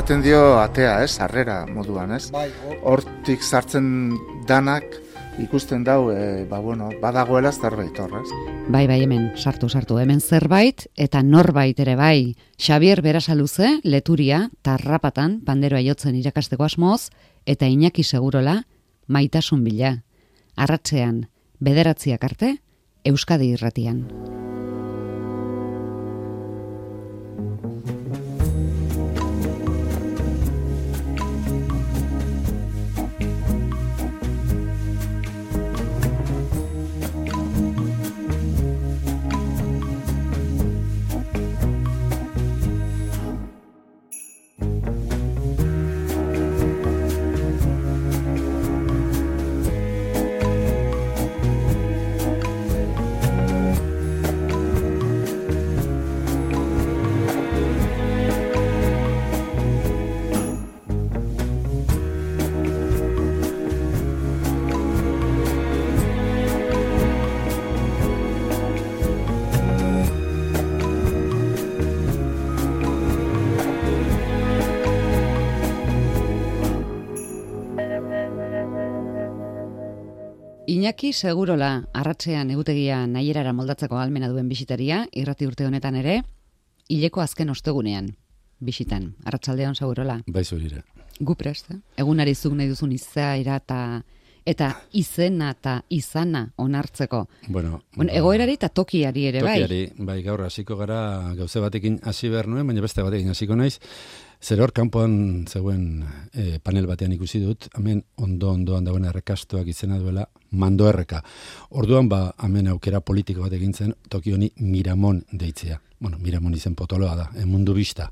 esaten dio atea, sarrera moduan, ez? Bai, Hortik sartzen danak ikusten dau, badagoela zerbait horrez. Bai, hemen, sartu, hemen zerbait, eta norbait ere bai. Xabier Berasaluze, Leturia, Tarrapatan, panderoa jotzen irakasteko asmoz, eta Iñaki Segurola, Maitasun bila. Arratsean, 9 arte, Euskadi Irratian. Iñaki Segurola, arratsean egutegia nahierara moldatzeko ahalmena duen bisitaria, irrati urte honetan ere, hileko azken ostegunean bisitan. Arratsaldeon, Segurola. Bai, zurire. Gu prest, egunari zuk nahi duzun izaera eta izena eta izana onartzeko. Bueno, egoerari eta tokiari ere, bai? Tokiari, bai, gaur hasiko gara gauze batekin hasi behar nuen, baina beste batekin hasiko naiz. Zer hor, kanpoan zegoen panel batean ikusi dut, hemen ondoan dagoen errekastoak izena duela Mando Erreka. Orduan, hemen aukera politiko bat egin zen, toki honi Miramon deitzea. Bueno, Miramon izen potoloa da, mundu bista.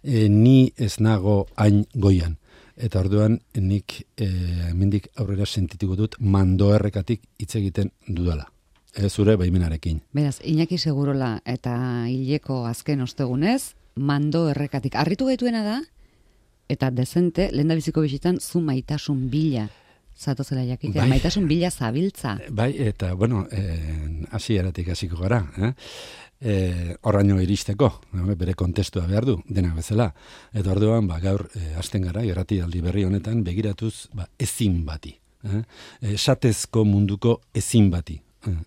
Ni ez nago hain goian. Eta orduan, nik hemendik aurrera sentituko dut Mando Errekatik hitz egiten dudala. Zure baimenarekin. Beraz, Iñaki Segurola eta hileko azken ostegunez, Mando Errekatik. Arritu gaituena da, eta dezente, lehendabiziko bisitan, zu Maitasun bila zatozela jakitea. Bai. Maitasun bila zabiltza. Bai, eta, bueno, hasieratik hasiko gara. Horraino iristeko, bere kontestua behar du, denak bezala. Eta orduan, gaur, hasten gara, irratialdi berri honetan, begiratuz, ezin bati. Esatezko munduko ezin bati.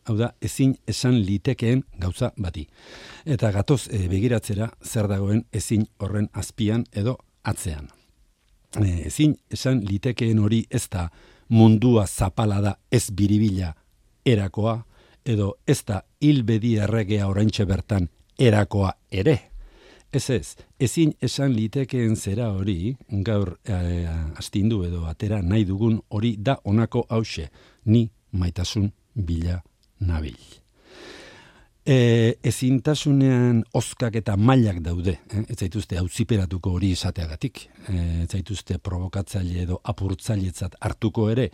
Hau da, ezin esan litekeen gauza bati. Eta gatoz begiratzera zer dagoen ezin horren azpian edo atzean. Ezin esan litekeen hori ez da mundua zapala da ez biribila erakoa, edo ez da hilbedi erregea oraintxe bertan erakoa ere. Ez, ezin esan litekeen zera hori, gaur astindu edo atera nahi dugun hori da honako hause, ni maitasun bila nabil. Ezintasunean oskak eta mailak daude, ez zaituzte auziperatuko hori izateagatik, ez zaituzte provokatzaile edo apurtzailetzat hartuko ere,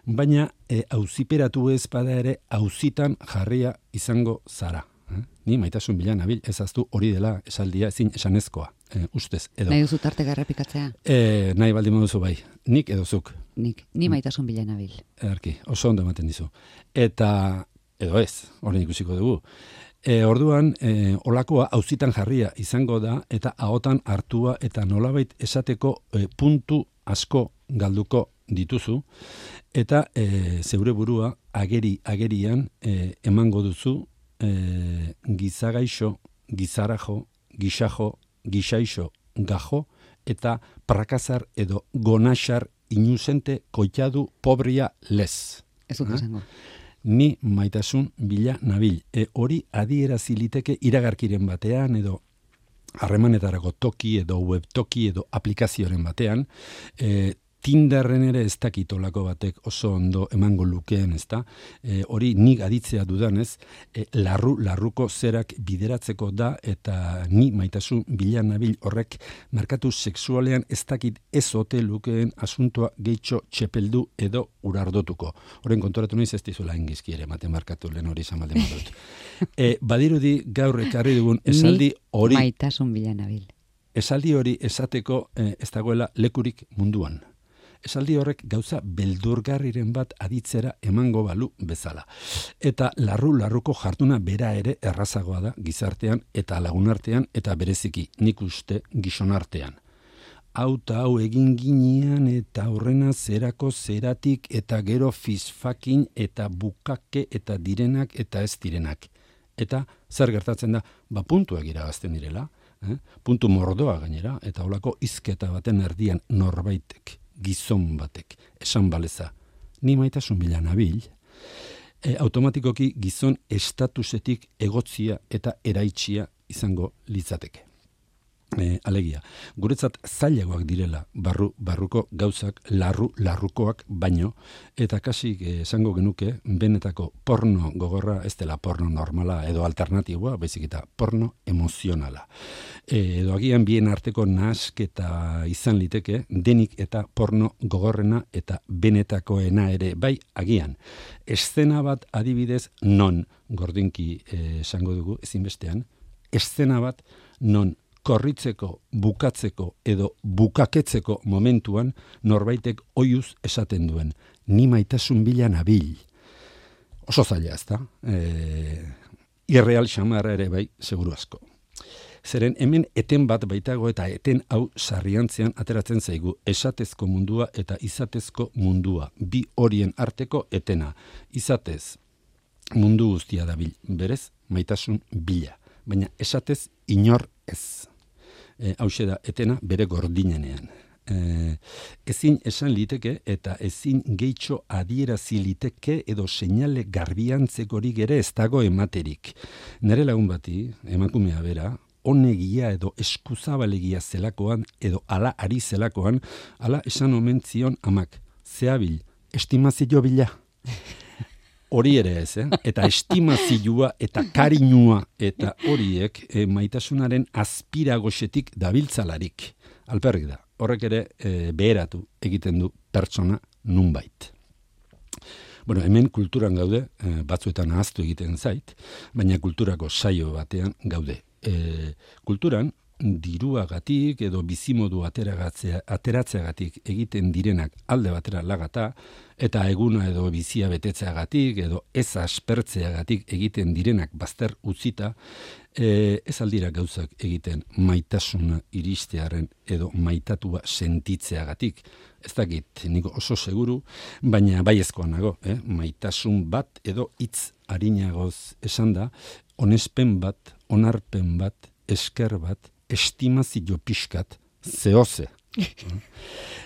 baina auziperatu ez bada ere auzitan jarria izango zara. Ni maitasun bila nabil, ezaztu hori dela esaldia ezin esanezkoa, ustez. Edo. Nahi duzu tarteka errepikatzea? Nahi baldin moduzu bai, nik edo zuk. Ni maitasun bila nabil. Erki, oso ondo ematen dizu. Eta, edo ez, horren ikusiko dugu. Orduan, olakoa auzitan jarria izango da, eta ahotan hartua eta nolabait esateko puntu asko galduko dituzu, eta zeure burua agerian emango duzu gizagaixo, gizarajo, gixajo, gixaixo, gajo, eta prakazar edo gonaxar inuzente koitadu pobria lez. Ez dut esango. Ni maitasun bila nabil. Hori adierazi liteke iragarkiren batean edo harremanetarako toki edo webtoki edo aplikazioaren batean, Tinderren ere ez dakitolako batek oso ondo emango lukeen, ezta? Hori nik aditzea dudanez, larruko zerak bideratzeko da, eta ni maitasun bila nabil horrek merkatu sexualean ez dakit ez ote lukeen asuntoa gehitxo txepeldu edo urardotuko. Horren konturatu naiz ez dizuela engizki ere ematen markatu lehen hori izan baldin badut. Badirudi gaur ekarri dugun esaldi hori... Ni maitasun bila nabil. Esaldi hori esateko ez dagoela lekurik munduan. Esaldi horrek gauza beldurgarriren bat aditzera emango balu bezala. Eta larruko jarduna bera ere errazagoa da gizartean eta lagunartean eta bereziki nik uste gizonartean. hau egin ginean eta horrena zerako zeratik eta gero fisfakin eta bukake eta direnak eta ez direnak. Eta zer gertatzen da, puntuak iragazten direla, puntu mordoa gainera, eta holako hizketa baten erdian norbaitek, gizon batek, esan baleza, ni maitasun bila nabil, automatikoki gizon estatusetik egotzia eta eraitsia izango litzateke. Alegia, guretzat zailagoak direla barruko gauzak larrukoak baino, eta kasik esango genuke benetako porno gogorra ez dela porno normala edo alternatiboa, baizik eta porno emozionala. Edo agian bien arteko nahasketa izan liteke, denik eta porno gogorrena eta benetakoena ere, bai agian. Eszena bat adibidez non, gordinki esango dugu ezinbestean, eszena bat non korritzeko, bukatzeko edo bukaketzeko momentuan norbaitek oiuz esaten duen. Ni maitasun bila nabil. Oso zaila ez da. Irreal xamarra ere bai, seguru asko. Zeren hemen eten bat baitago eta eten hau sarriantzean ateratzen zaigu. Esatezko mundua eta izatezko mundua. Bi horien arteko etena. Izatez mundu guztia dabil. Berez, maitasun bila. Baina esatez inor ez. Hauxe da etena bere gordinenean. Ezin esan liteke eta ezin gehitxo adierazi liteke edo seinale garbiantzekorik ere ez dago ematerik. Nere lagun bati, emakumea bera, honegia edo eskuzabalegia zelakoan edo ala ari zelakoan, ala esan omen zion amak, zehabil, estimazio bila. Hori ere ez, eta estimazioa eta karinua eta horiek maitasunaren azpiragoxetik dabiltzalarik. Alperrik da, horrek ere beheratu egiten du pertsona nunbait. Bueno, hemen kulturan gaude, batzuetan ahaztu egiten zait, baina kulturako saio batean gaude. Kulturan, diruagatik edo bizimodu ateratzeagatik egiten direnak alde batera lagata, eta eguna edo bizia betetzeagatik edo ez aspertzeagatik egiten direnak bazter utzita, ez aldira gauzak egiten maitasuna iristearen edo maitatua sentitzeagatik. Ez dakit, nik oso seguru, baina baiezkoa nago, maitasun bat edo hitz arinagoz esan da, onespen bat, onarpen bat, esker bat, estimazio pixkat, zehoze.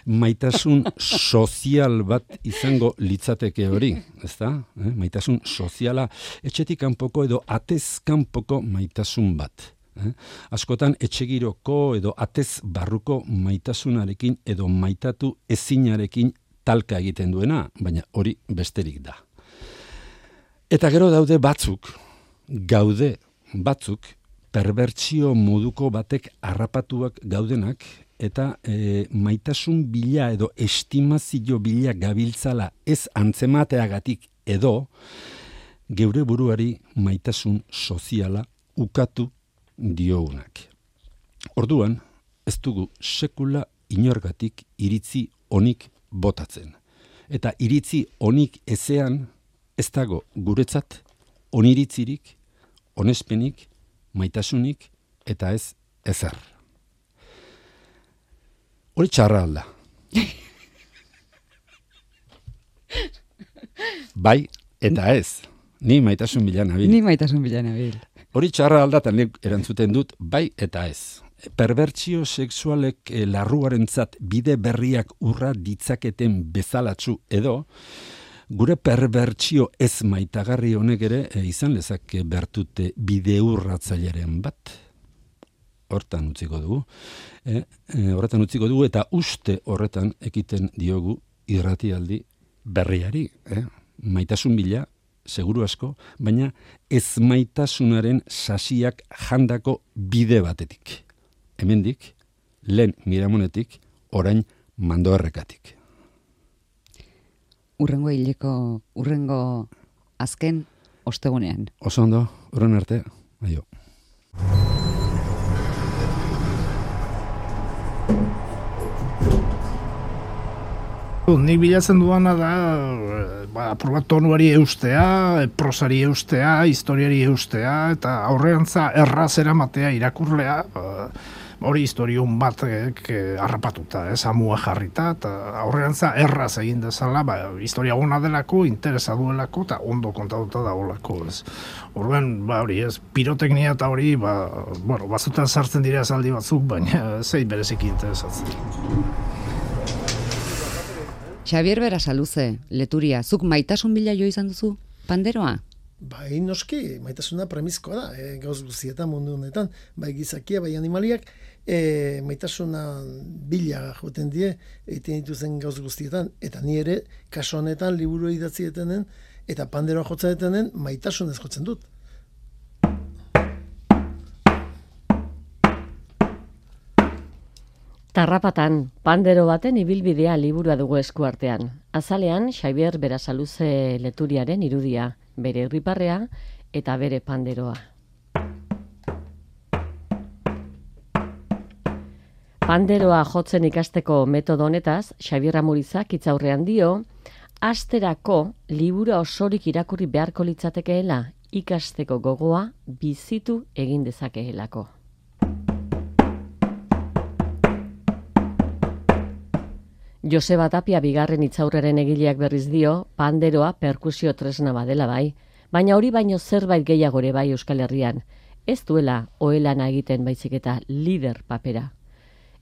Maitasun sozial bat izango litzateke hori, ezta? Maitasun soziala, etxetik kanpoko edo atez kanpoko maitasun bat. Askotan etxegiroko edo atez barruko maitasunarekin edo maitatu ezinarekin talka egiten duena, baina hori besterik da. Eta gero daude batzuk, perbertsio moduko batek harrapatuak gaudenak, eta maitasun bila edo estimazio bila gabiltzala ez antzemateagatik edo geure buruari maitasun soziala ukatu diogunak. Orduan, ez dugu sekula inorgatik iritzi onik botatzen. Eta iritzi onik ezean ez dago guretzat oniritzirik, onespenik, maitasunik eta ez ezer. Hori txarra alda. Bai eta ez. Ni maitasun bila nabil. Hori txarra alda eta nik erantzuten dut bai eta ez. Perbertsio sexualek larruarentzat bide berriak urra ditzaketen bezalatsu edo gure perbertsio ez maitagarri honek ere izan lezake bertute bide urratzaileren bat. Hortan utziko dugu eta uste horretan ekiten diogu irratialdi berriari. Maitasun bila, seguru asko, baina ez maitasunaren sasiak jandako bide batetik. Hemendik, lehen Miramonetik, orain Mandoerrekatik. Urrengo azken ostegunean. Oso ondo, urren arte, aio. Nik bilatzen duana da, tonuari eustea, prosari eustea, historiari eustea, eta aurreantza erraz eramatea irakurlea, hori historion batek harrapatuta, amua jarrita, eta aurrerantza erraz egin dezala, historia ona delako, interesa duelako, eta ondo kontatuta dagoelako, ez. Orduan, hori, ez, piroteknia eta hori, batzutan sartzen dira esaldi batzuk, baina zei bereziki interesatzen. Xabier Berasaluze, Leturia, zuk maitasun bila jo izan duzu panderoa? Bai, noski, maitasuna premizkoa da, gauz guztietan mundu honetan, bai gizakia, bai animaliak, maitasuna bila joten die, egiten dituzen gauz guztietan, eta ni ere, kaso honetan, liburu idatzi etenen, eta panderoa jotzen etenen, maitasunez jotzen dut. Tarrapatan, pandero baten ibilbidea liburua dugu eskuartean. Azalean, Xabier Berasaluze Leturiaren irudia, bere irriparrea eta bere panderoa. Panderoa jotzen ikasteko metodo honetaz, Xabier Amurizak hitzaurrean dio, asterako libura osorik irakurri beharko litzatekeela, ikasteko gogoa bizitu egin dezakeelako. Joseba Tapia bigarren hitzaurraren egileak berriz dio, panderoa perkusio tresna badela bai, baina hori baino zerbait gehiago ere bai Euskal Herrian, ez duela ohelana egiten baizik eta lider papera.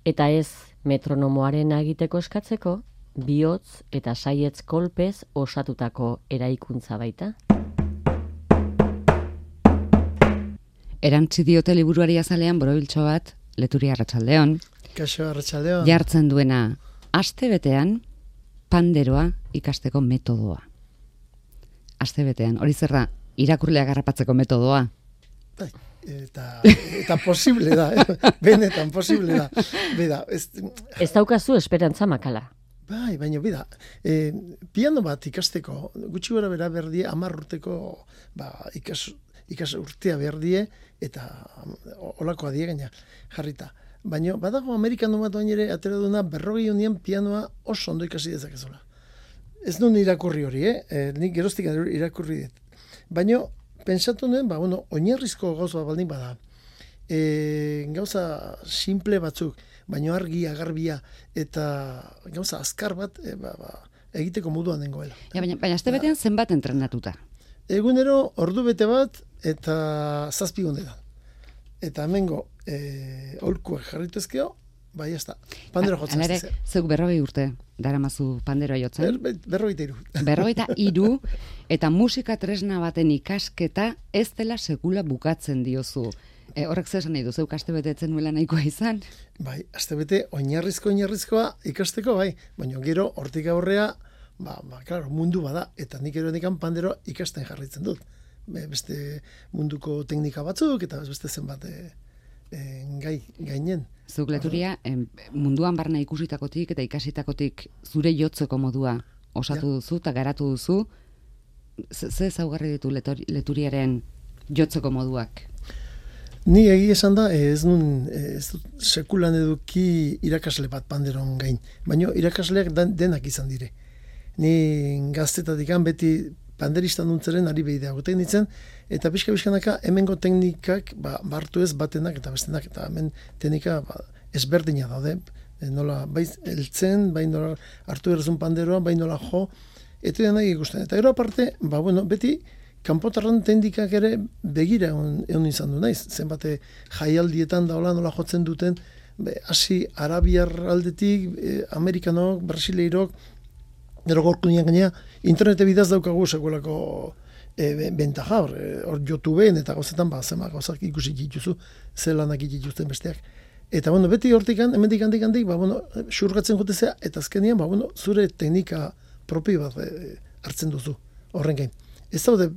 Eta ez metronomoaren egiteko eskatzeko, bihotz eta saietz kolpez osatutako eraikuntza baita. Erantzi diote liburuari azalean borobiltxo bat, Leturia Arratsaldeon. Kaixo Arratsaldeon. Jartzen duena, aste betean panderoa ikasteko metodoa. Aste betean, hori zerra, irakurleak harrapatzeko metodoa. Bai, eta posible da, benetan posible da. Beda, ez daukazu esperantza makala. Bai, baina bida, piano bat ikasteko, gutxi gora bera berdie, 10 urteko ikas urtea berdie, eta olako adie gaina jarrita. Baina badago Amerikano bat ere atera duna 40 honien pianoa oso ondo ikasi dezakezula. Ez duen irakurri hori, nik geroztik irakurri dit. Baina pentsatu nuen, oinarrizko gauza baldin bada. Gauza simple batzuk, baina argia, garbia, eta gauza azkar bat egiteko moduan dengoela. Ja, baina aste betean zenbat entrenatuta? Egunero ordu bete bat eta 7 egunetan. Eta hemengo aholkuak jarrituzkeo, bai ez da, pandero jotzen ez da. Zeuk 40 urte daramazu panderoa jotzen? 43. 43 eta musika tresna baten ikasketa ez dela sekula bukatzen diozu. Horrek zer esan nahi du, zeuk aste betetzen nuela nahikoa izan? Bai, aste bete oinarrizkoa ikasteko, bai, baina gero hortik aurrea, claro, mundu bada, eta nik eronikan pandero ikasten jarritzen dut. Beste munduko teknika batzuk, eta beste zenbat gainen. Zuk Leturia, munduan barna ikusitakotik eta ikasitakotik zure jotzeko modua osatu duzu eta garatu duzu, ze ezaugarri ditu Leturiaren jotzeko moduak? Ni egia esan da, ez dut sekulan eduki irakasle bat panderon gain, baina irakasleak denak izan dire. Ni gaztetatik beti panderista nuntzeren ari behidea goten ditzen, eta pixka-pixkanaka hemengo teknikak bartu ez batenak eta bestenak, eta hemen teknika ezberdina daude, nola bai eltzen, bai nola hartu errezun panderoa, bai nola jo, eta denak ikusten. Eta gero aparte, beti kanpotarran teknikak ere begira egon izan du naiz, zenbate jaialdietan daola nola jotzen duten, hasi arabiar aldetik, amerikanok, brasileirok, gero gorku nian gainea, internete bidaz daukagu sekulako bentaja, hor YouTubeen eta gauzetan zema gauzak ikusi dituzu, zelanak dituzten besteak. Eta beti hortikan, hemendik handik, xurgatzen jotezea, eta azkenean, zure teknika propi bat hartzen duzu, horren gain. Ez daude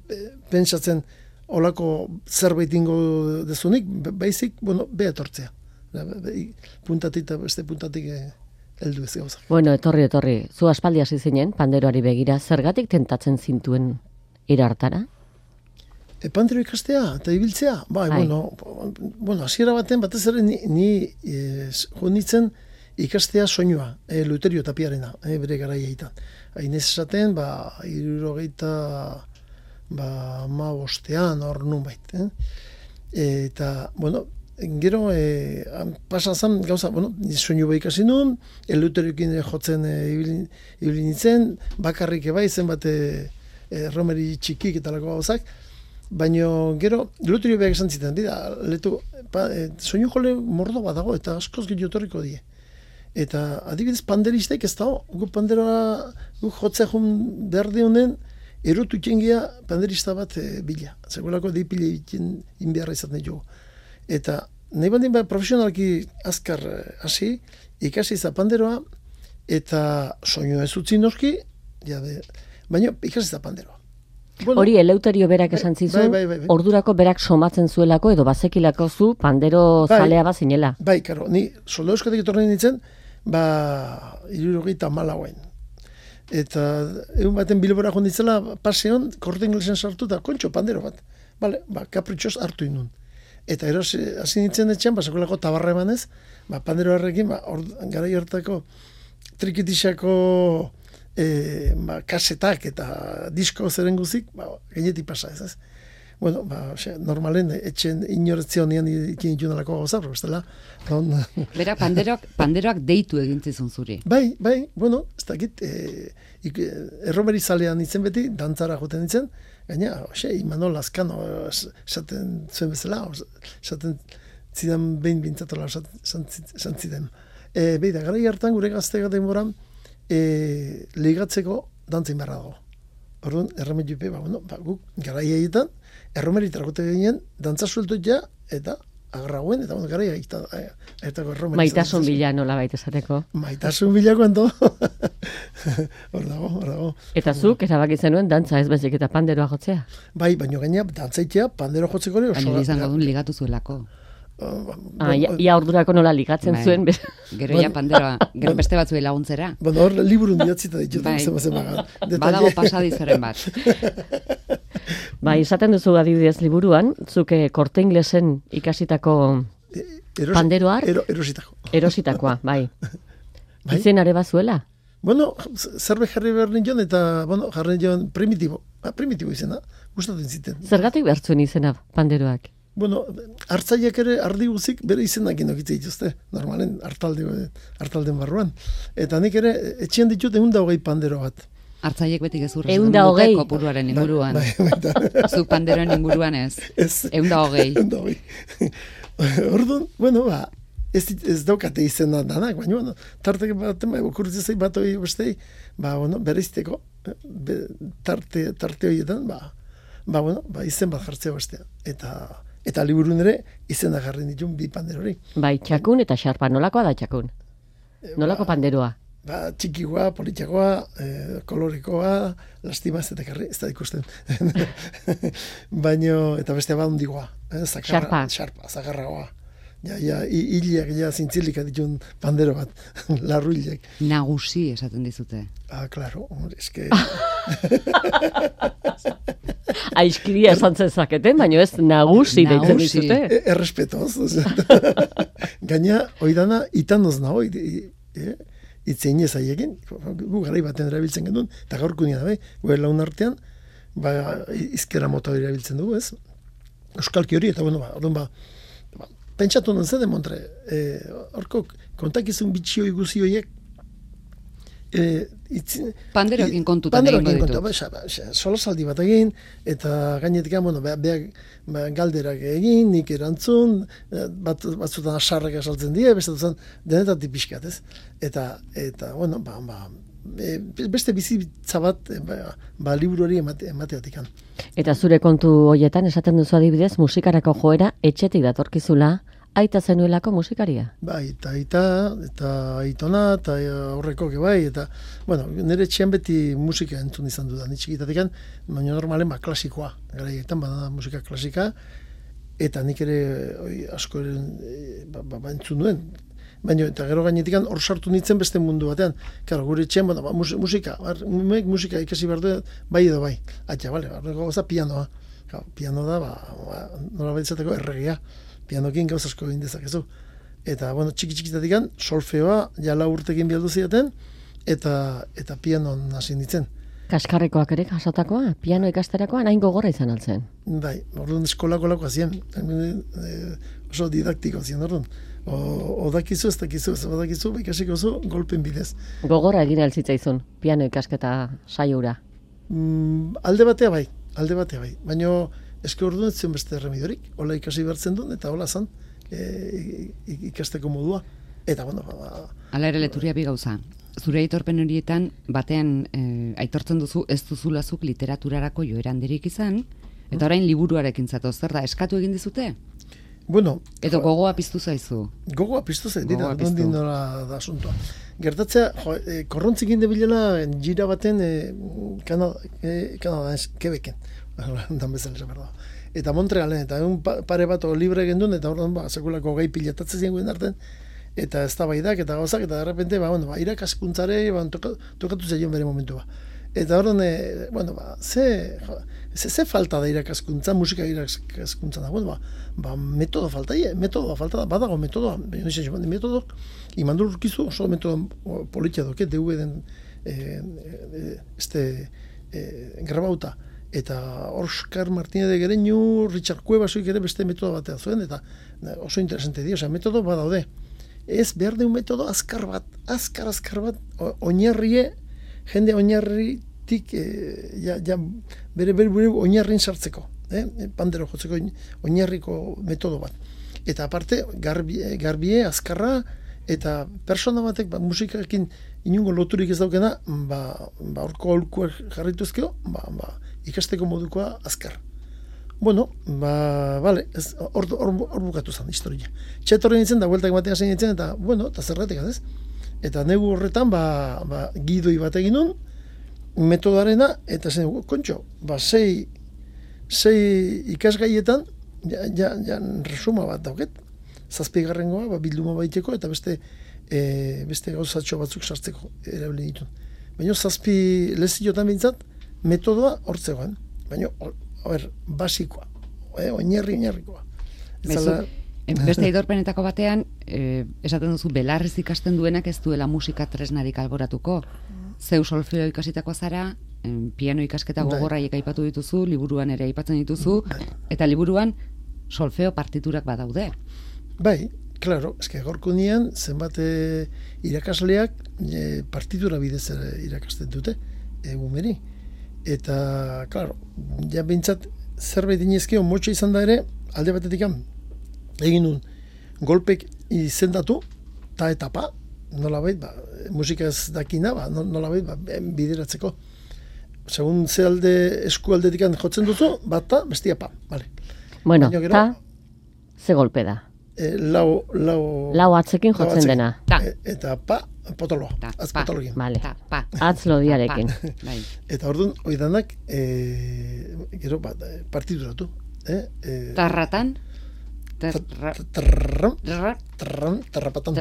pentsatzen olako zerbait ingo dezunik, baizik, behatortzea. Puntatik eta beste puntatik heldu ez gauzak. Bueno, etorri. Zu aspaldi hasi zinen, panderoari begira, zergatik tentatzen zintuen irartara? Pandero ikastea eta ibiltzea? Hasiera baten, batez ere ni jonitzen ikastea soinua, Luterio Tapiarena, bere garaiaitan. Hainez esaten, 75 hor nunbait. Eta, gero, pasa zan, gauza, bueno, soinu behik hasi nuen, eleuteriokin jotzen ibili nintzen, bakarrik bai, zenbat romeri txikik eta lako gauzak, baina gero, eleuterio behak esan ziten, letu, soinu jole mordo bat dago, eta askoz gehiotorriko die. Eta adibidez panderistek ez dago, gu panderoa, gu jotzea jun behar dionen, erotu itxengia panderista bat bila. Zegulako dipile inbiarra izaten dugu. Eta nahi bandin profesionalki azkar hasi, ikasi za panderoa, eta soinu ez utzi noski, baina ikasi za panderoa. Bueno, hori Eleuterio berak esan zizun, bai. ordurako berak somatzen zuelako edo bazekilako zu pandero zalea bazinela. Bai, karo, ni solda euskatik etorren nintzen, 74 Eta egun baten Bilbora jonditzela, paseon, korte inglesen sartu eta kontxo pandero bat. Bale, kapritxoz hartu inun. Eta hasi nintzen etxean, sakolako tabarra emanez, pandero harrekin, gara hartako trikitisako kasetak eta disko zeren guzik, gainetik pasa ez. Bueno, normalen, etxen inoretzio nian ikin itxunalako gauza, bestela. Bera, panderoak deitu egintzizun zuri. Bai, bueno, ez dakit, erromeri zalean nintzen beti, dantzara joten nintzen, gaina, Imanol Lazkano esaten zuen bezala, esaten zidan behin bintzatola esan zidan. Beida, gara hartan gure gaztega denboran, ligatzeko dantzin beharra dago. Orduan, erremetupe, guk gara iaietan, erromeri tragote ginen, dantza sueltu ja, eta agarragoen, eta gara iaietan. Maitasun bila nola baita esateko. Maitasun bilako ento. Hor dago. Eta zuk, erabaki zenuen, dantza ez bezik eta panderoa jotzea? Bai, baino gaina, dantzaitea, pandero jotzeko ere. Baina izango duen ligatu zuelako. Ia ordurako nola ligatzen zuen. Gero ja panderoa, gero beste batzuei laguntzera. Bueno, hor liburun diatzita ditut. Badago pasadizeren bat. Bai, esaten duzu adibidez liburuan, zuke korte inglesen ikasitako panderoa erositakoa, bai. Izen are bazuela? Bueno, zerbe jarri behar nion eta, jarri nion primitibo izena, gustatzen ziten. Zergatik behar zuen izena panderoak? Bueno, hartzaileak ere ardi guzik bere izenak inokitze dituzte, normalen hartalden barruan. Eta nik ere etxean ditut 120 pandero bat. Hartzaileek beti gezurra. 120 kopuruaren inguruan. Bai. Zu panderoen inguruan ez. 120. Orduan, bueno, ez daukate izena danak, baina, tartek baten, okurritzei bat hori bestei, bereizteko, tarte horietan, izen bat jartzea bestea. Eta liburun ere, izena jarri ditun 2 panderori. Bai, txakun eta xarpa, nolakoa da txakun? Nolako panderoa? Txikikoa, politxakoa, kolorikoa, lastima ez da ikusten. Baina, eta bestea hundigoa. Xarpa, zagarragoa. Hiliak zintzilika ditun pandero bat, larru hiliak. Nagusi esaten dizute. Claro, eske... Aizkiria esan zezaketen, baina ez nagusi deitzen dizute. Errespetoz. Gaina, oidana, itanoz nago, itzein ez aiekin, gu garai baten erabiltzen genuen, eta gaurko nina, gu laun artean, izkera mota hori erabiltzen dugu, ez? Euskalki hori, eta pentsatu non zede, Montre, horko kontakizun bitxio iguzi horiek, panderoekin kontutan egingo ditut. Solasaldi bat egin, eta gainetik, galderak egin, nik erantzun, batzutan asarrek asaltzen dira, bestatuzen denetatik pixkat, ez? Eta beste bizitza bat, liburu hori emateatik. Eta zure kontu horietan, esaten duzu adibidez, musikarako joera etxetik datorkizula, aita zenuelako musikaria? Bai, eta aitona, eta aurreko bai, eta, nire etxean beti musika entzun izan dudan, txikitatik, baina normalen klasikoa, garaietan, musika klasika, eta nik ere asko entzun duen, baina eta gero gainetik hor sartu nintzen beste mundu batean, gure etxean, musika ikasi behar du, bai edo bai, pianoa, piano da, nola baitzateko erregia, pianokin gauz asko egin dezakezu. Eta, txiki-txikitatik solfeoa, 4 urtekin bialdu zidaten, eta pianon hasi nintzen. Kaskarrekoak ere jasotakoa, piano ikasterakoan hain gogorra izan altzen. Bai, orduan eskolako hazien, oso didaktiko zien, orduan. Odakizu, ez dakizu, ez badakizu, ikasiko zu, golpen bidez. Gogorra egin altzitzaizun, piano ikasketa saiura. Alde batea bai. Baina eske orduan ez zion beste remidorik, hola ikasi bertzen duen, eta hola zan ikasteko modua. Eta, bueno, Hala ere Leturia bi gauza. Zure aitorpen horietan, batean aitortzen duzu ez duzulazuk literaturarako joera handirik izan, eta orain liburuarekin zatoz, zer da, eskatu egin dizute? Bueno, Edo gogoa piztu zaizu? Gogoa piztu zaizu, nondin nola da asuntoa. Gertatzea, korrontzik inde bilela gira baten Kanada, Quebecen, dan bezala esan behar da. Eta Montrealen, eta pare bat libre gendun, eta orduan sekulako gai pilatatzen zien guen arten, eta ez da baidak, eta gauzak, eta derrepente, irakaskuntzare, tokatu zeion bere momentua. Eta orduan, ze falta da irakaskuntza, musika irakaskuntza da, metodo falta da, badago metodoa, metodok, imandur urkizu, oso metodo politia doke, DVD-den grabauta, eta Oscar Martínez de Gereñu, Richard Cuevasoik ere beste metodo batea zuen, eta oso interesante dio, metodo badaude. Ez behar deun metodo azkar bat, oinarrie, jende oinarritik bere oinarrin sartzeko, pandero jotzeko oinarriko metodo bat. Eta aparte, garbie, azkarra, eta persona batek musikarekin inungo loturik ez daukena, orko aholkuak jarrituzkeo, ikasteko modukoa azkar. Bueno, vale, hor bukatu zen historia. Txetorren nintzen, da bueltak batean zein nintzen, eta, eta zerratik, ez? Eta negu horretan, gidoi bat egin nun, metodarena, eta zen, kontxo, sei ikasgaietan, resuma bat dauket, 7. Bilduma baiteko, eta beste gauzatxo batzuk sartzeko erabili ditun. Baina 7 leziotan bintzat, metodoa hortzegoan. Baina, basikoa, oinarrikoa. Beste aitorpenetako batean, esaten duzu, belarrez ikasten duenak ez duela musika tresnarik alboratuko. Zeu solfeo ikasitako zara, piano ikasketa gogorraiek aipatu dituzu, liburuan ere aipatzen dituzu, eta liburuan solfeo partiturak badaude. Bai, claro, eske gorko nian, zenbat irakasleak partitura bidez irakasten dute, egumeri. Eta, claro, ja bintzat zerbait inezkeo motxa izan da ere, alde batetik egin nun, golpek izendatu, ta eta pa, nolabait, musika ez dakina, nolabait, bideratzeko. Segun ze alde, eskualdetik jotzen duzu, bata, bestia pa, vale. Bueno, ta, ze golpe da? Lau atzekin jotzen dena. Eta pa, potoloa, az potolokin. Vale, atz lodiarekin. Eta orduan, oidanak, gero, partiduratu. Tarratan? Tarrapatan.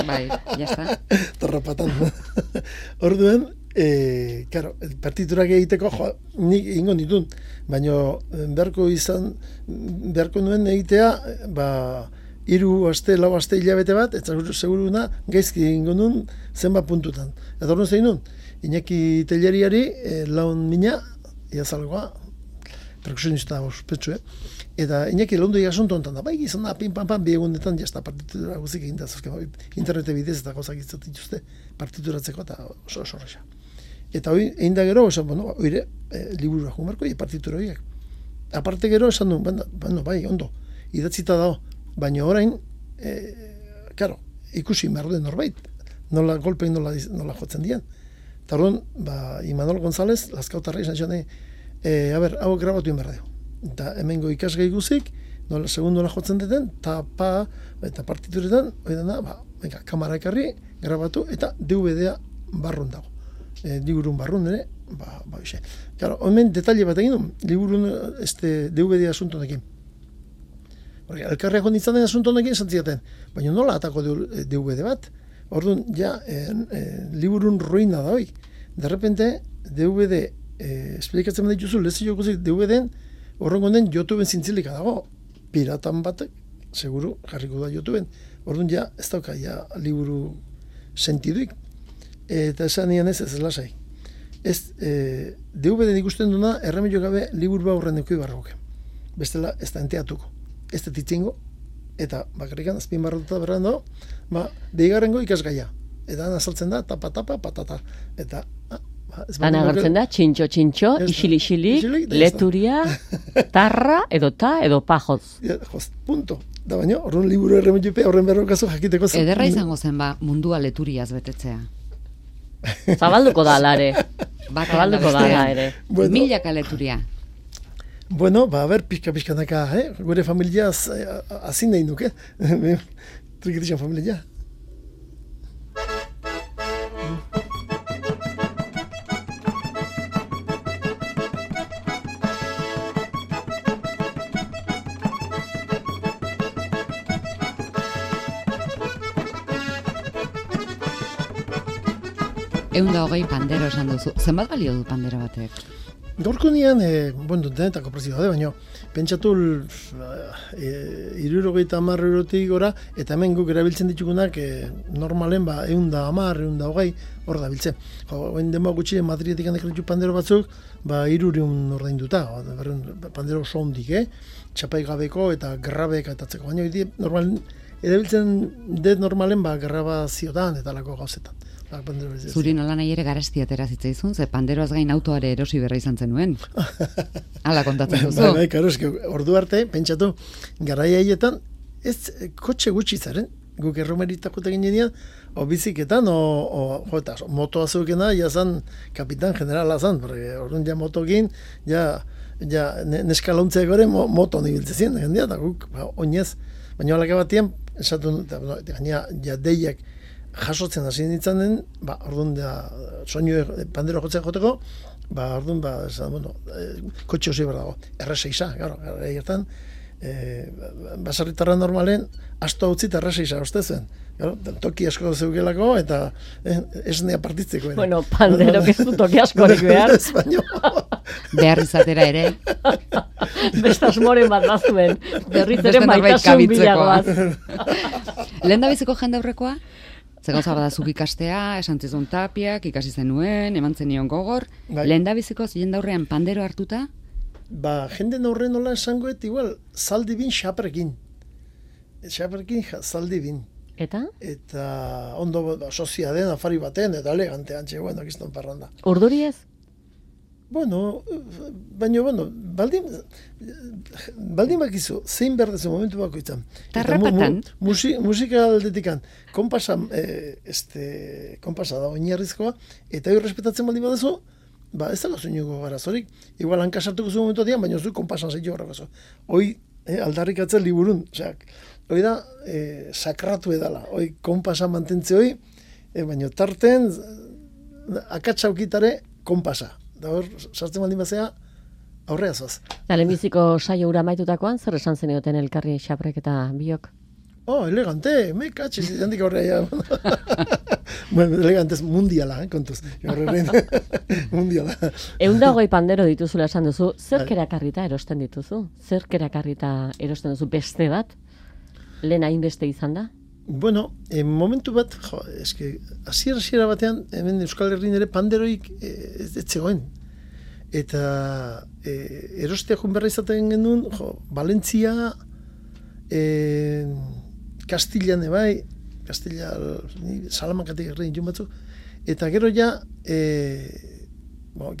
Bai, jazta. Tarrapatan. Orduan, partiturak egiteko, nik ingo ditun, baina beharko nuen egitea, 3 aste, 4 aste hilabete bat, eta seguruna gaizki ingo nuen zenbat puntutan. Eta orduan zein nuen, Iñaki Telleriari, laun mina, iazalgoa, perkusionista ospetsu, eta Iñaki laundu asunto ontan da, bai gizan da, pin-pam-pam, bi egunetan, jazta partitura guzik egin da, internete bidez eta gauzak izatituzte partituratzeko, eta oso horreza. Eta hori, egin da gero, esan, oire, liburu jumarko, partitura horiek. Aparte gero, esan du, bai, ondo, idatzita dago, baina orain, karo, ikusi merden norbait, nola golpein nola jotzen dian. Eta orduan, Imanol González, Lazkautarra izan zane, hau grabatu inberra dugu. Eta hemengo ikasgai guzik, segun nola jotzen deten, eta partituretan, kamara ekarri, grabatu, eta DVD-a barrun dago. Liburun barrun ere, hoxe. Claro, hemen detalle bat egin du, liburun DVD asuntonekin. Elkarriak honditzen den asuntonekin zantziaten, baina nola atako DVD bat? Orduan, liburun ruina da hoi. De repente, DVD, esplikatzen dituzu, lezio guzik DVD-en, horrengo den YouTubeen zintzilika dago. Piratan batek, seguru, jarriko da YouTubeen. Orduan, ez dauka, liburu sentiduik. Eta esan nian ez lasai. ez DVD ikusten duna erremedio gabe liburu aurren eduki barroke. Bestela ez da enteatuko. Ez da titzingo, eta bakarrikan azpin barrotuta berran dago, deigarrengo ikasgaia. Eta azaltzen da, tapa, patata. Eta, han agertzen da, txintxo, isili, leturia, tarra, edo pajoz. Joz, punto. Da baina, horren liburu erremediope, horren berrokazu jakiteko zen. Ederra izango zen mundua leturiaz betetzea. Zabalduko da alare. Zabalduko da ere. Bueno, milaka leturia. Bueno, pixka-pixkanaka, gure familia azin nahi nuke. Trikitixan familia. Eunda hogei pandero esan duzu. Zenbat balio du pandero batek? Gaurko nian, denetako prezioa da, baina pentsatu 70 eurotik gora, eta hemen guk erabiltzen ditugunak normalen 110, 120 hor da biltzen. Oen denba gutxi Madridetik handek ditu pandero batzuk, 300 ordainduta, pandero oso hondik, txapai gabeko eta grabek atatzeko, baina normal erabiltzen dut normalen grabaziotan eta lako gauzetan. Zuri nola nahi ere garesti atera zitzaizun, ze panderoaz gain autoare erosi berra izan zenuen. Hala kontatzen duzu. Bai, karo, ordu arte, pentsatu, garaia haietan, ez kotxe gutxi zaren, guk erromeritako egin genian, o biziketan, motoa zeukena, jazan kapitan generala zan, porque orduan ja motokin, neskalauntzeak gore moto nibiltzezien, jendia, eta guk, oinez, baina alaka batien, esatu, gaina, deiak, jasotzen hasi nintzen den, orduan da, soinu pandero jotzen joteko, orduan, kotxe osi behar dago, R6a, gara, egertan, basarritarra normalen, asto hau zita R6a, uste zuen, toki asko zeugelako, eta esnea partitzeko. Bueno, pandero kezu toki askorik behar. Behar izatera ere. Bestaz moren bat bazuen, berriz ere maitasun bilagoaz. Lehen da biziko jende aurrekoa? Ze gauza bada zuk ikastea, esan zizun Tapiak, ikasi zenuen, eman zenion gogor. Lehen da biziko jende aurrean pandero hartuta? Jende aurrean nola esangoet, igual, zaldi bin xaprekin. Xaprekin zaldi bin. Eta? Eta ondo sozia den, afari baten, eta elegante antxe, akizton parranda. Urduri ez? Bueno, baldin bakizu, zein berdezu momentu bako izan. Tarrapatan? Musika aldetikan, konpasa da oinarrizkoa, eta hori respetatzen baldin badezu, ez dela zuinuko garazorik. Igual hankasartuko zu momentu dian, baina zu konpasan zeitu horrekazu. Hoi, aldarrikatzen liburun, hoi da, sakratu edala, hoi konpasa mantentze hoi, baina tarten, akatsaukitare konpasa. Da hor, sartzen baldin bazea, aurrea zoaz. Lehenbiziko saio ura maitutakoan, zer esan zenioten elkarri xaprek eta biok? Elegante, me katxiz, jandik aurrea. Elegantez mundiala, kontuz. Mundiala. 120 pandero dituzula esan duzu, zer kerakarrita erosten dituzu? Zer kerakarrita erosten duzu beste bat? Lehen hainbeste izan da? Bueno, momentu bat, hasiera batean, hemen Euskal Herrian ere panderoik ez zegoen. Eta erostea joan berra izaten genuen, Valentzia, Kastillan ebai, Kastilla, Salamankatik errein joan batzuk, eta gero ja,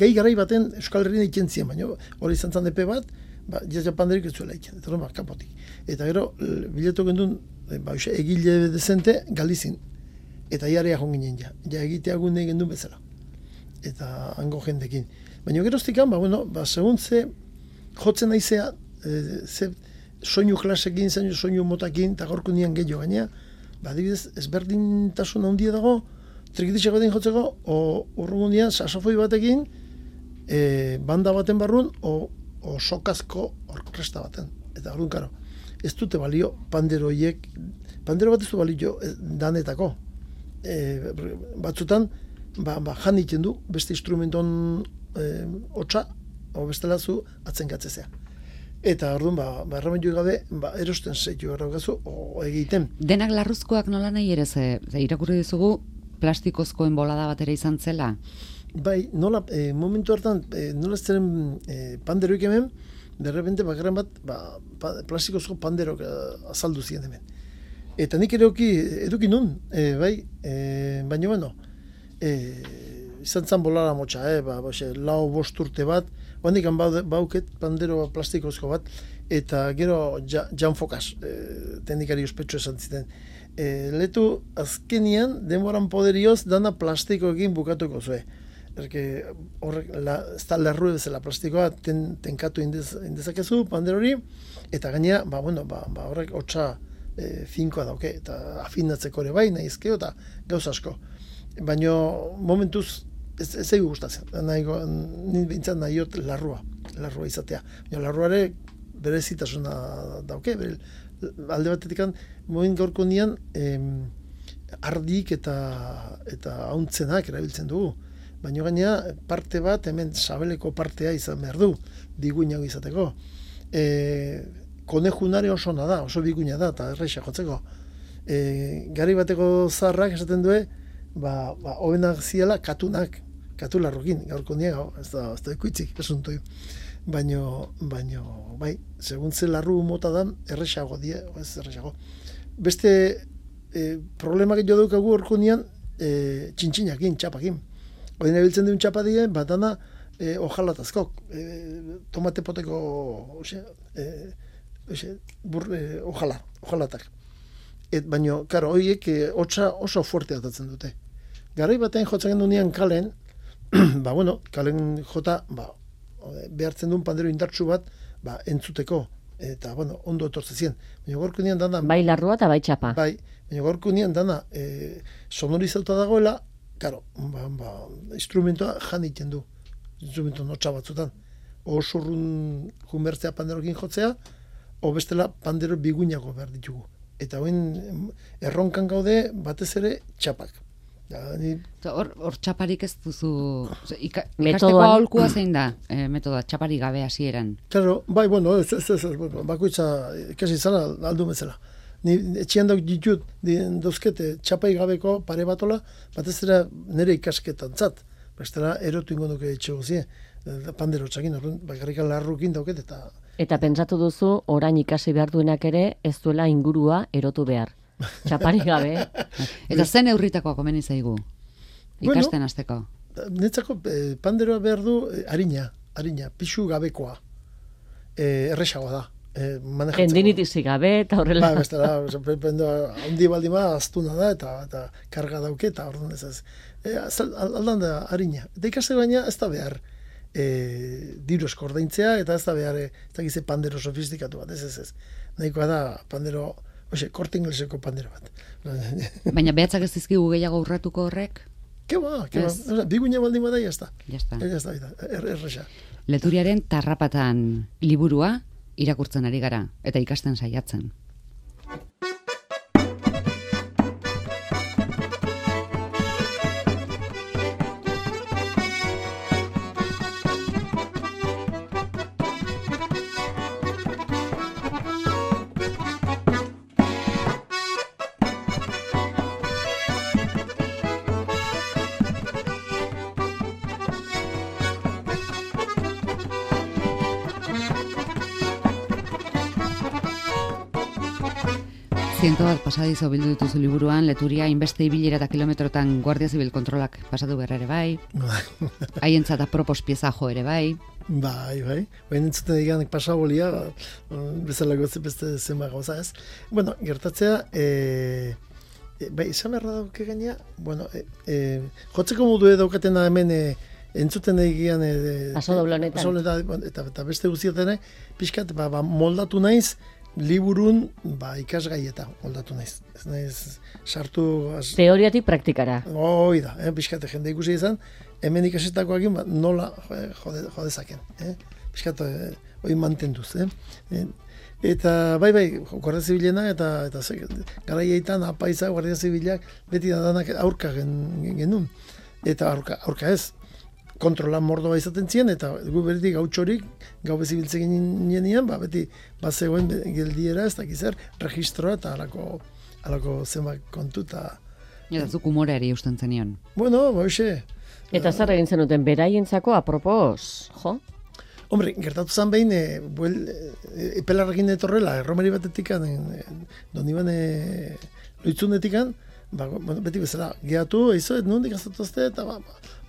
gai garai baten Euskal Herrian ikentzien, baina hori izan zan epe bat, jazia panderoik ez zuela iken, eta kapotik. Eta gero, biletu gendun, egile dezente Galizin, eta jarea joan ginen ja egitea gunde gendun bezala, eta hango jendekin. Baina geroztikan, segun ze jotzen naizea, ze soinu klasekin, soinu motakin, eta gorko nian gehiago gaina, adibidez, ezberdintasun handia dago, trikitixeko baten jotzeko, urrungun nian, sasofoi batekin, banda baten barrun, o sokazko orkestra baten. Eta orduan, karo, ez dute balio pandero bat ez du balio danetako. Batzutan, jan iten du, beste instrumenton hotza, o bestela zu atzenkatzezea. Eta orduan, erremendu gabe, erosten zeitu erraukazu, o egiten. Denak larruzkoak nola nahi ere, ze irakurri dizugu plastikozkoen bolada bat ere izan zela? Bai, nola, momentu hartan, nola ziren panderoik hemen, derrepente bakarren bat, plastikozko panderok azaldu ziren hemen. Eta nik ere eduki nun, bai, baina bueno, izan zan bolara motxa, lau 5 urte bat, handik bauket pandero plastikozko bat, eta gero Jan Fokas, teknikari ospetsu esan ziten. Letu azkenian, denboran poderioz, dana plastikoekin bukatuko zue. Horrek, ez da lerru bezala plastikoa, tenkatu indezakezu, pandero hori, eta gainea, horrek hotza finkoa dauke, eta afinatzeko ere bai, nahizkeo, eta gauz asko. Baina momentuz, ez egu gustatzen, ni bintzat nahiot larrua izatea. Baina larruare berezitasuna dauke, alde batetik moment gaurko nian ardik eta hauntzenak erabiltzen dugu. Baina gainea parte bat, hemen sabeleko partea izan behar du, biguinago izateko. Konejunare oso biguina da, eta erraixa jotzeko. Gari bateko zaharrak esaten du, hobenak ziela katularrokin, gaurko niega, ez da ikuitzik, esuntoi. Baina, bai, segun ze larru mota da, errexago die, ez errexago. Beste problemak jo daukagu orko nian, txintxinakin, txapakin. Oden ebiltzen duen txapa die, batana ojalatazkok, tomate poteko ojalatak. Baina, karo, horiek hotza oso fuerte atatzen dute. Garai batean jotzen gendu nian kalen, kalen jota, behartzen duen pandero indartsu bat, entzuteko, eta, ondo etortze zien. Baina gorko nian dana... Bai larrua eta bai txapa. Bai, baina gorko nian dana sonorizauta dagoela, karo, instrumentoa jan egiten du, instrumento notxa batzutan. Oso urrun junbertzea panderokin jotzea, o bestela pandero biguinago behar ditugu. Eta hoin erronkan gaude batez ere txapak. Hor txaparik ez duzu... Ikasteko aholkua zein da, metodoa, txaparik gabe hasieran. Claro, bai, bakoitza ikasi zara aldu bezala. Ni etxean dauk ditut, dauzkete txapai gabeko pare batola, batez ere nire ikasketan zat. Bestela erotu ingo duke etxe guzie, pandero txakin, bakarrikan larrukin dauket eta... Eta pentsatu duzu, orain ikasi behar duenak ere, ez duela ingurua erotu behar. Txapari gabe. Eta zen eurritakoa komeni zaigu? Ikasten hasteko. Netzako panderoa behar du harina, pixu gabekoa. Erresagoa da. Tendinitizi gabe eta horrela. Bestela, handi baldima astuna da eta karga dauke eta orduan ez. Aldan da harina. Eta ikaste baina ez da behar diru eskordaintzea eta ez da behar ez da gize pandero sofistikatu bat, ez. Nahikoa da pandero, korte ingleseko pandero bat. Baina behatzak ez dizkigu gehiago urratuko horrek? Keba. Biguina baldin bada, jazta. Jazta. Erresa. Leturiaren Tarrapatan liburua irakurtzen ari gara, eta ikasten saiatzen. Bat pasadizo bildu dituzu liburuan, Leturia inbeste ibilera eta kilometrotan Guardia Zibil kontrolak pasatu berra ere bai. Haientzat apropos pieza jo ere bai. Bai. Baina entzuten diganek pasabolia, bezala gotze beste zenba gauza ez. Bueno, gertatzea, izan berra dauke gaina, jotzeko modu daukatena hemen entzuten egian pasodoblonetan eta beste guztietene, pixkat, moldatu naiz, liburun ikasgaieta moldatu naiz. Ez naiz sartu... Teoriatik praktikara. Hoi da, pixkate jende ikusi izan, hemen ikasetakoakin nola jodezaken. Pixkate hoi mantenduz. Eta bai, Guardia Zibilena eta garaietan apaiza Guardia Zibilak beti danak aurka genuen. Eta aurka ez. Kontrolan mordoa izaten ziren, eta gu berdi gautxorik, gau bezibiltzen ginen, beti zegoen geldiera, ez dakizer, registroa eta alako zenbak kontu eta... Eta zuk umoreari usten zenion. Bueno, Eta zer egin zenuten beraientzako apropos, jo? Hombre, gertatu zen behin, epelarrekin etorrela, erromeri batetik, don iban loitzunetik, beti bezala, gehatu, eizo, nondik azatuzte, eta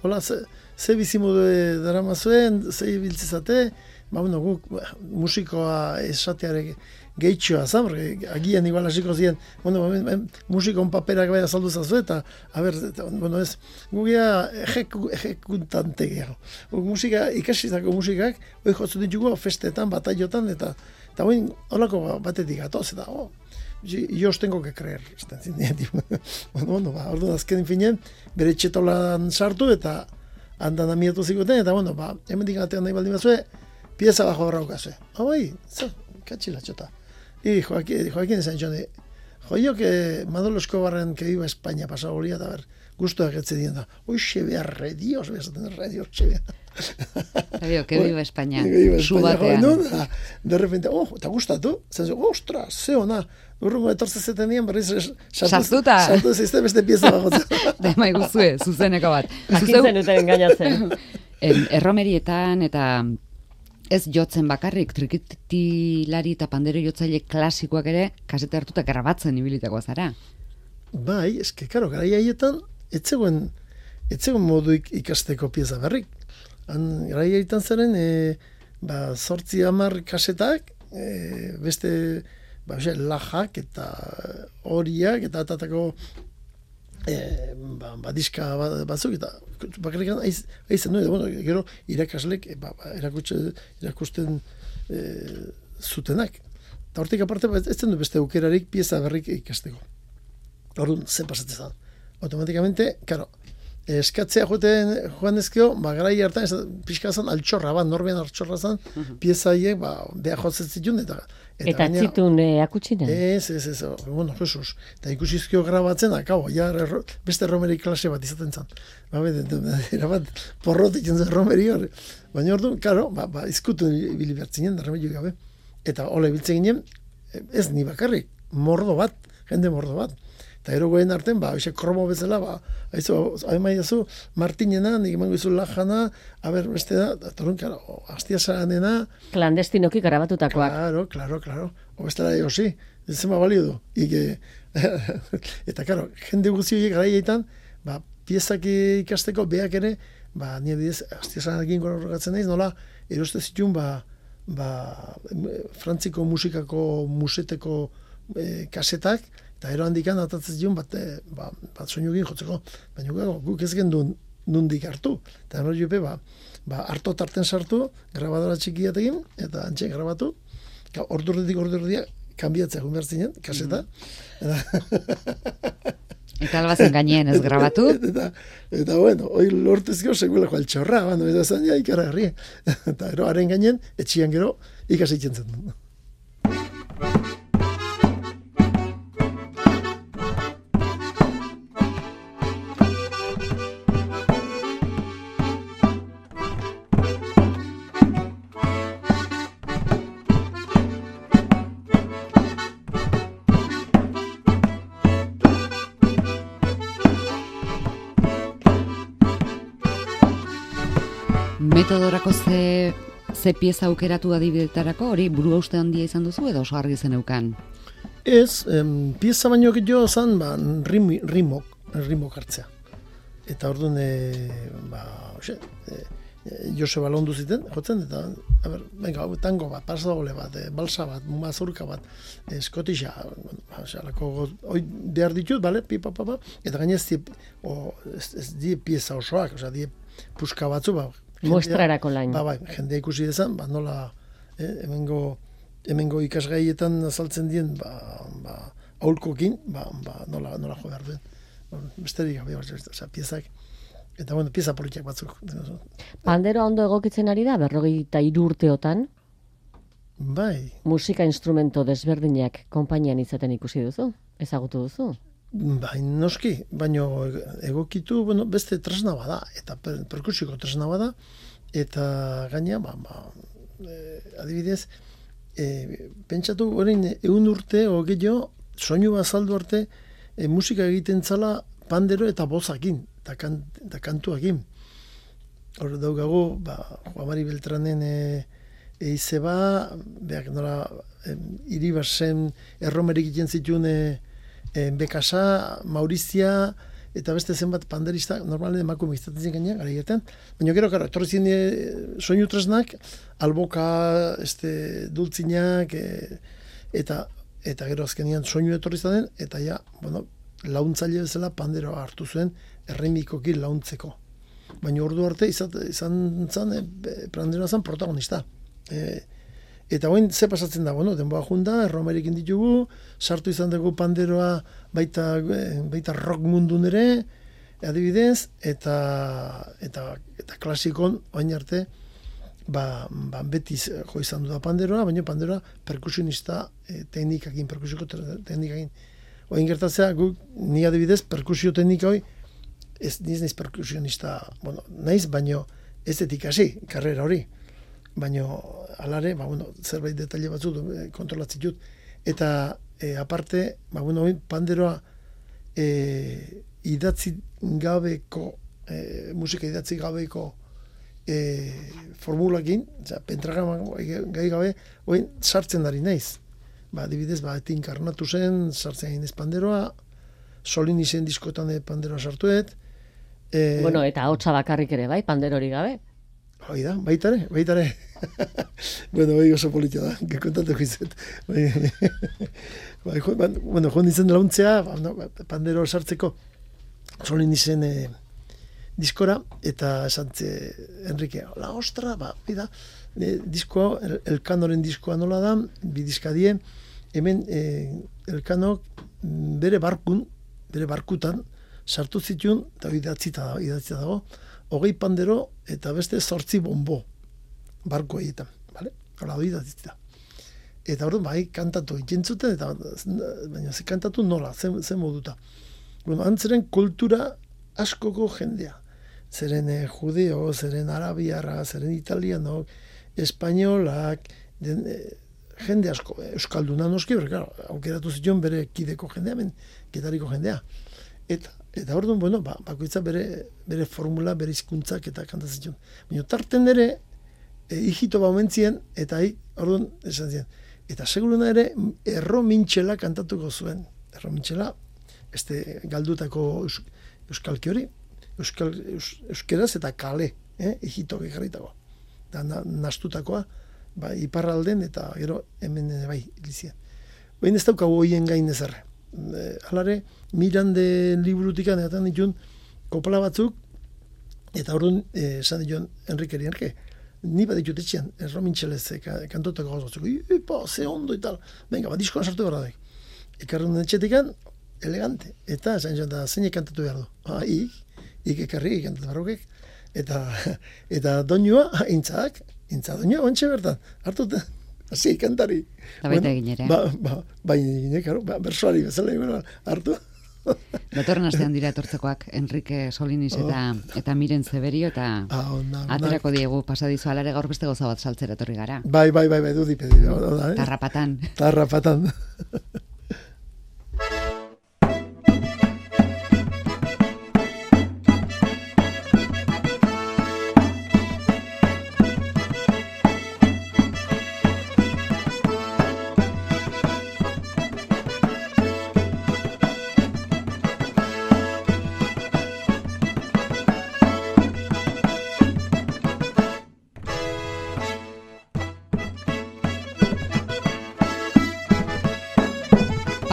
hola, ze bizimudu dara mazuen, ze biltzizate, guk musikoa esateare gehitxoa zan, agian igual hasiko ziren, musikon paperak bai azaldu zazu, eta, guk ejekutante gehiago. Musika, ikasizako musikak, hoi jotzu ditugu festetan, bataiotan, eta holako batetik gatoz, eta, yo os tengo que creer. Orduan azken finen, bere txetolan sartu, eta andan amietu zikoten, eta, hemen digatean nahi baldin bazue, pieza bajo horraukazue. Katxila txota. Y Joaquín esan txone, yo que Manolo Escobarren que iba a España pasado bolía, a ver, gustoak etzedien da. Oixe behar redios, redios, Sabio, que viva España. Su batean. De repente, eta gustatu? Ostras, ze ona. Urrungo etortze zetenien, berriz sartuta. Sartu zizte beste pieza bagotzen. Dema iguzue, zuzeneko bat. Jakin zenuten engainatzen. Erromerietan eta ez jotzen bakarrik, trikitilari eta pandero jotzaile klasikoak ere, kasete hartuta grabatzen ibilitako zara. Bai, eske, karo, garai haietan, etzegoen modu ikasteko pieza berrik. Garai haietan zaren, 8-10 kasetak, beste, lajak eta horiak, eta atatako diska batzuk, eta bakarrikan aizen nuen, gero irakaslek erakusten zutenak. Eta hortik aparte, ez zen du beste aukerarik pieza berrik ikasteko. Orduan, zen pasatzen zen. Automatikamente, karo, eskatzea joan ezkeo, garai hartan, pixka zen altxorra, norbean altxorra zen, pieza haiek, beha jotzen zituen, eta txitun akutsinen? Ez, Jesus. Eta ikusizkio grabatzen, beste romeri klase bat izaten zen. Erabat, porrotik zen romeri hori. Baina orduan, karo, izkutu ibili bertzinen, remedio gabe. Eta hola ibiltzen ginen, ez ni bakarrik, jende mordo bat. Eta erogoen arten, kromo bezala, haimaiazu, Martinena, nik emango izu Lajana, beste da, torun, karo, Astiasaranena. Klandestinoki grabatutakoak. Claro. Obestela egosi, ez zema balio du. Eta, karo, jende guztiak garaietan, piezak ikasteko, beak ere, nire bidez, Astiasaranekin gorrogatzen naiz, nola, eroste zituen, Frantziko musikako museteko kasetak, eta ero handikan atatzen zion bat soinu egin jotzeko, baina guk ez gendun nundik hartu. Eta hori jope, harto tarten sartu, grabadora txikiat egin, eta antxe grabatu, ordurretik kanbiatzea joan behar zinen, kaseta. Eta albazen gainen ez grabatu. Eta hoi lortezko seguelako altxorra, eta zan ikaragarri. Eta ero, haren gainen, etxian gero, ikasitzen zen. Metodorako ze pieza aukeratu adibidetarako, hori buru hauste handia izan duzu edo oso argi zen eukan? Ez, pieza baino gehiago zan, rimok hartzea. Eta orduan, Joseba Londu ziten, jotzen, eta, tango bat, pasadole bat, balsa bat, mazurka bat, eskotixa, hoi behar ditut, bale, pipa, eta gainez, ez die pieza osoak, die puska batzu, Mostrarako lain. Jendea ikusi dezan, nola, hemengo ikasgaietan azaltzen dien, aulkokin, nola jo behar duen. Besterik gabe, piezak. Eta, pieza politiak batzuk. Panderoa ondo egokitzen ari da, 43 urteotan? Bai. Musika instrumento desberdinak konpainian izaten ikusi duzu? Ezagutu duzu? Bai, noski, baina egokitu, beste tresna bada, eta perkusiko tresna bada, eta gaina, adibidez, pentsatu, orain, 100 urte, gehiago, soinu bazaldu arte, musika egiten zala pandero eta bozakin, eta kantuakin. hor daukagu, Juan Mari Beltranen izeba, beak nola, Iribarzen erromerik egiten zituen Bekasa, Maurizia, eta beste zenbat panderista, normalen emakume izaten zen gainean, gara egiten. Baina gero, etorri ziren soinu tresnak, alboka, dultzinak, eta gero azkenian soinu etorri zaten, eta ja, launtzaile bezala panderoa hartu zuen erremikoki launtzeko. Baina ordu arte izan zen, panderoa zen protagonista. Eta oin, ze pasatzen da, denboa junda, erromerekin ditugu, sartu izan dugu panderoa baita rock mundun ere, adibidez, eta klasikon, oin arte, beti jo izan du da panderoa, baina panderoa perkusionista teknikakin, perkusioko teknikakin. Oin gertatzea, ni adibidez, perkusio teknika hoi, ez naiz perkusionista, naiz, baina ez detik hasi, karrera hori. Baina, alare, zerbait detaile batzuk kontrolatzen dut. Eta, aparte, panderoa idatzi gabeko, musika idatzi gabeko formulakin, pentagrama gai gabe, sartzen dari naiz. Adibidez, inkarnatu zen, sartzen ginez panderoa, solin izen diskotan panderoa sartuet. Eta hotza bakarrik ere, panderori gabe? Hoi da, baitare. Hoi oso politia da, kontatu gizet. Joan izen launtzea, pandero sartzeko, solin izen diskora, eta esantze, Enrique, la ostra, diskoa, Elkanoren diskoa nola da, bidizkadie, hemen Elkanok bere barkutan, sartu zituen, eta idatzita dago, 20 pandero eta beste 8 bombo barko egiten, bale? Hala hori idatzita. Eta hori, kantatu ikentzuten, baina ze kantatu nola, ze moduta. Antzeren kultura askoko jendea. Zeren judeo, zeren arabiarra, zeren italiano, espainolak, jende asko, euskalduna noski, aukeratu zituen bere kideko jendea, ketariko jendea. Eta orduan, bakoitza bere formula, bere hizkuntzak eta kantatzen zituen. Baina tarten ere, hijito baumentzien, eta orduan esan ziren. Eta seguruna ere, erro mintxela kantatuko zuen. Erro mintxela, galdutako euskalki hori, euskeraz eta kale, hijito gekarritako. Eta nastutakoa, iparralden eta gero hemen ilizien. Baina ez daukagu hoien gain ezerre. Alare, Mirande liburutikan eta ditun kopla batzuk, eta orduan esan dituen Enriqueri, ni bat ditut etxean, erro mintxelez kantotako gauz batzuk, ze ondo eta tal, venga, diskoan sartu behar daik. Ekarren etxetikan, elegante, eta esan joan da, zeinek kantatu behar du. Ik ekarri, kantatu barrokek, eta doinua, intzak doinua, ontsa bertan, hartut, hasi, kantari. Eta baita egin ere. Bersoari bezala, hartu. Datorren astean dira etortzekoak, Enrique Solinis eta Miren Zeberio, eta aterako diegu pasadizu alare gaur beste goza bat saltzera etorri gara. Bai, dudipedi. Tarrapatan.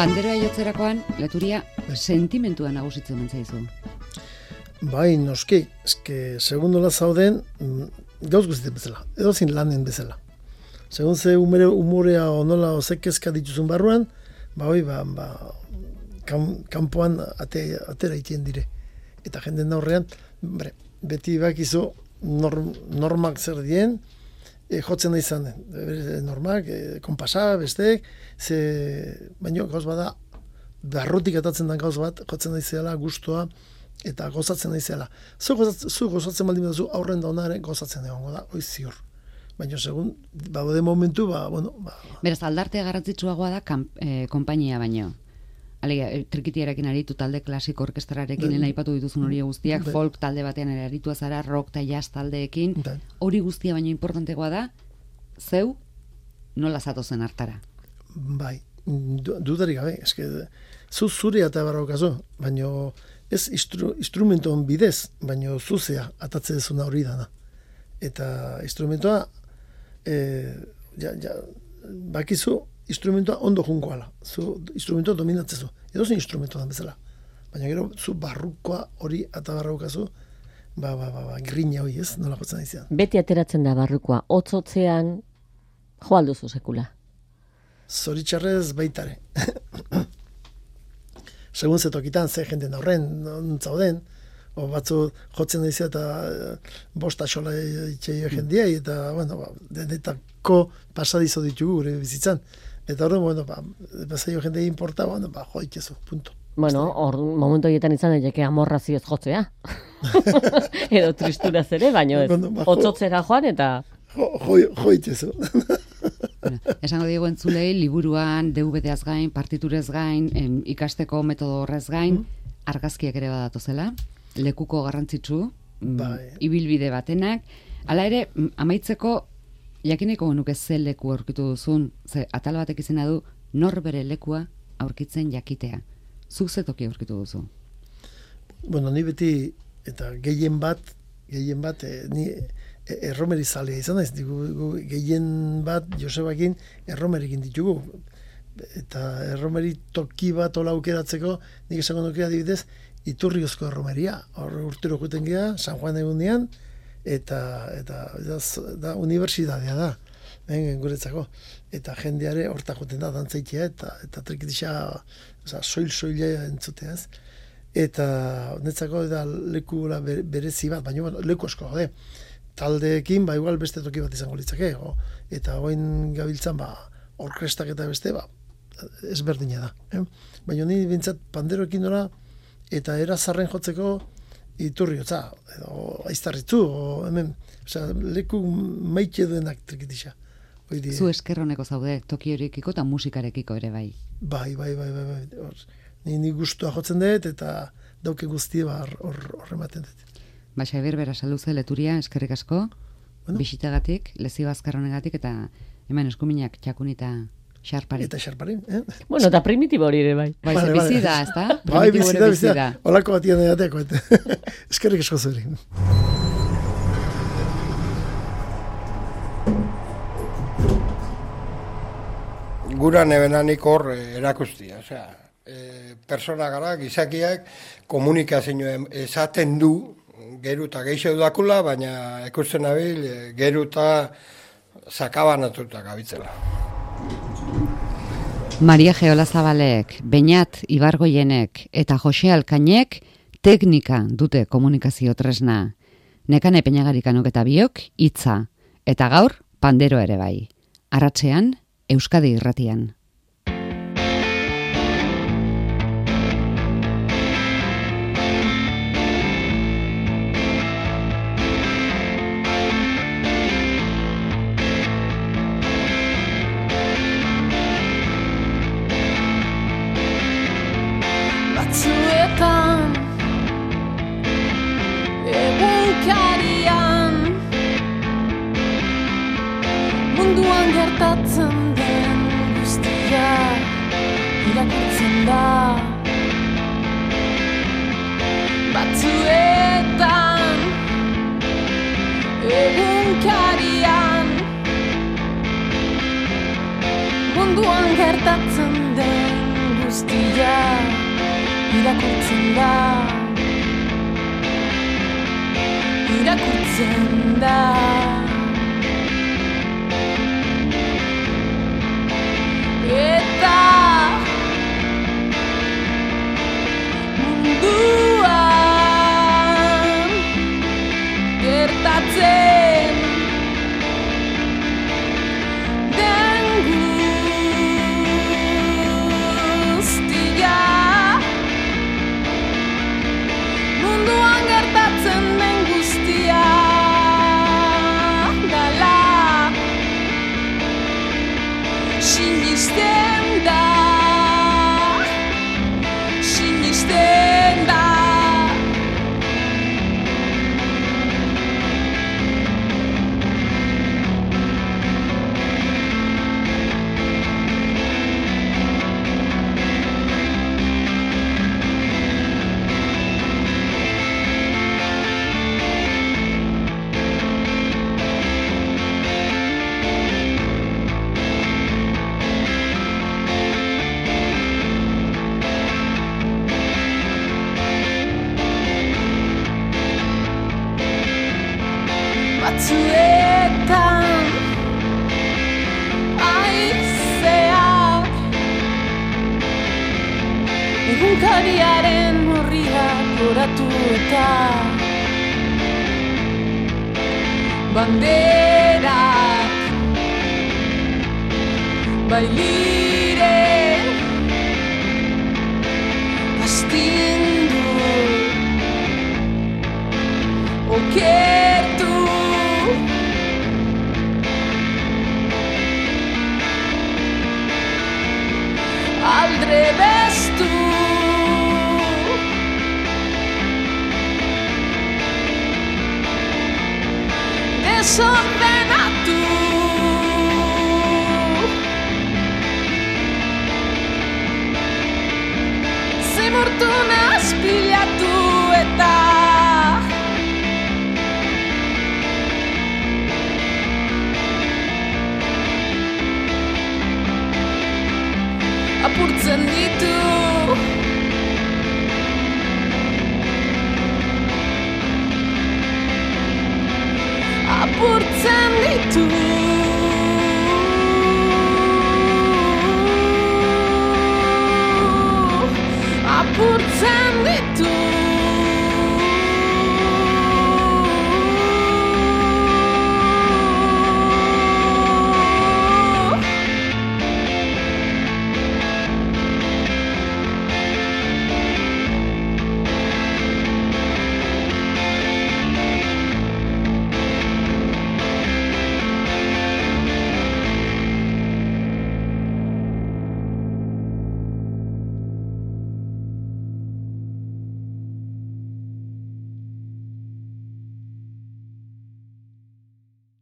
Panderoa jotzerakoan, Leturia, sentimentua nagusitzen mentzaizu. Bai, noski, segundola zauden, gauz guztien bezala, edozin lanen bezala. Segun ze umorea onola ozekezka dituzun barruan, kanpoan atera itien dire. Eta jenden aurrean, beti bakizu normak zer dien, jotzen da izan, normak, konpasa, bestek, baina gauz bada, barrutik atatzen den gauz bat, jotzen da izela, gustoa, eta gozatzen da izela. Zu gozatzen baldin duzu, aurren da onare, gozatzen egongo da, hoi ziur. Baina segun, de momentu, Beraz, aldartea garrantzitsuagoa da konpainia baino. trikitiarekin aritu, talde klasiko orkestrarekin, lehen aipatu dituzun hori guztiak, folk talde batean ere aritua zara, rock eta jazz taldeekin, hori guztia baino importantekoa da, zeu nola zatozen hartara? Bai, dudarik gabe, eske, zure eta barraukazu, baino ez instrumentoan bidez, baino zuzea atatze dezuna hori dana. Eta instrumentoa, bakizu, instrumentoa ondo junkoala. Zu instrumentoa dominatzezu. Edo zen instrumentoa bezala. Baina gero, zu barrukoa hori eta barraukazu, grina hori ez, nola jotzen aizean. Beti ateratzen da barrukoa, hotzotzean jo alduzu sekula. Zoritxarrez baitare. Segun zetokitan, ze jenden horren, nontzauden, batzu jotzen daizea eta bosta xola itxeio jendiai, eta, denetako pasadizo ditugu gure bizitzan. Eta horren, pasaio jendei importa, jo ikezu, punto. Hor momentu horietan izan daiteke amorrazioz jotzea. Edo tristuraz ere, baino ez. Hotzotzera joan eta... Jo ikezu. Esango diego entzulei, liburuan, DVD-az gain, partiturez gain, ikasteko metodo horrez gain, argazkiak ere badatozela, lekuko garrantzitsu, ibilbide batenak. Hala ere, amaitzeko, jakineko genuke ze leku aurkitu duzun, ze atal batek izena du, norbere lekua aurkitzen jakitea. Zuk ze toki aurkitu duzu? Ni beti, eta gehien bat, ni erromeri zalea izan naiz, gehien bat Josebakin erromerikin ditugu. Eta erromeri toki bat ola aukeratzeko, nik esango nuke adibidez, Iturriozko erromeria. Hor urtero juten gea, San Juan egunean, eta da unibertsitatea da, guretzako. Eta jendeare horta juten da, dantzaitea, eta trikitisa, soil-soilea entzutea ez. Eta netzako da leku berezi bat, baina leku asko, taldeekin, igual beste toki bat izango litzake, eta hoin gabiltzan, orkestak eta beste, ezberdina da. Baina ni bintzat panderoekin nola, eta erazarren jotzeko Iturriotza, edo aiztarritzu, hemen, leku maite duenak trikitisa. Zu eskerroneko zaude, toki horiekiko eta musikarekiko ere bai. Bai. Ni gustua jotzen dut, eta dauke guztie hor ematen dut. Xabier Berasaluze Leturia, eskerrik asko, bisitagatik, lezio azkarronegatik, eta hemen eskuminak txakunita xarpari. Eta xarpari, eta primitibo hori ere bai. Bizi da, ez da? Bai, bizi da. Olako batian edateko. Eskerrik asko zuri. Gura nebenanik hor erakustia, persona gara, gizakiak komunikazio esaten du, geruta geixo dakula, baina ikusten nabil, geruta sakabanatuta gabitzela. Maria Geola Zabalek, Beñat Ibargoienek eta Jose Alkainek teknika dute komunikazio tresna. Nekane Peñagarikanok eta biok hitza, eta gaur panderoa ere bai. Arratsean, Euskadi Irratian. Batzuetan egunkarian munduan gertatzen den guztia irakurtzen da. Batzuetan egunkarian munduan gertatzen den guztia irakurtzen da. Eta munduan gertatzen den guztia, munduan gertatzen den guztia egunkariaren horriak goratu eta banderak bailire astindu okertu aldrebestu desordenatu zimurtu nazpilatu eta apurtzen ditu apurtzen ditu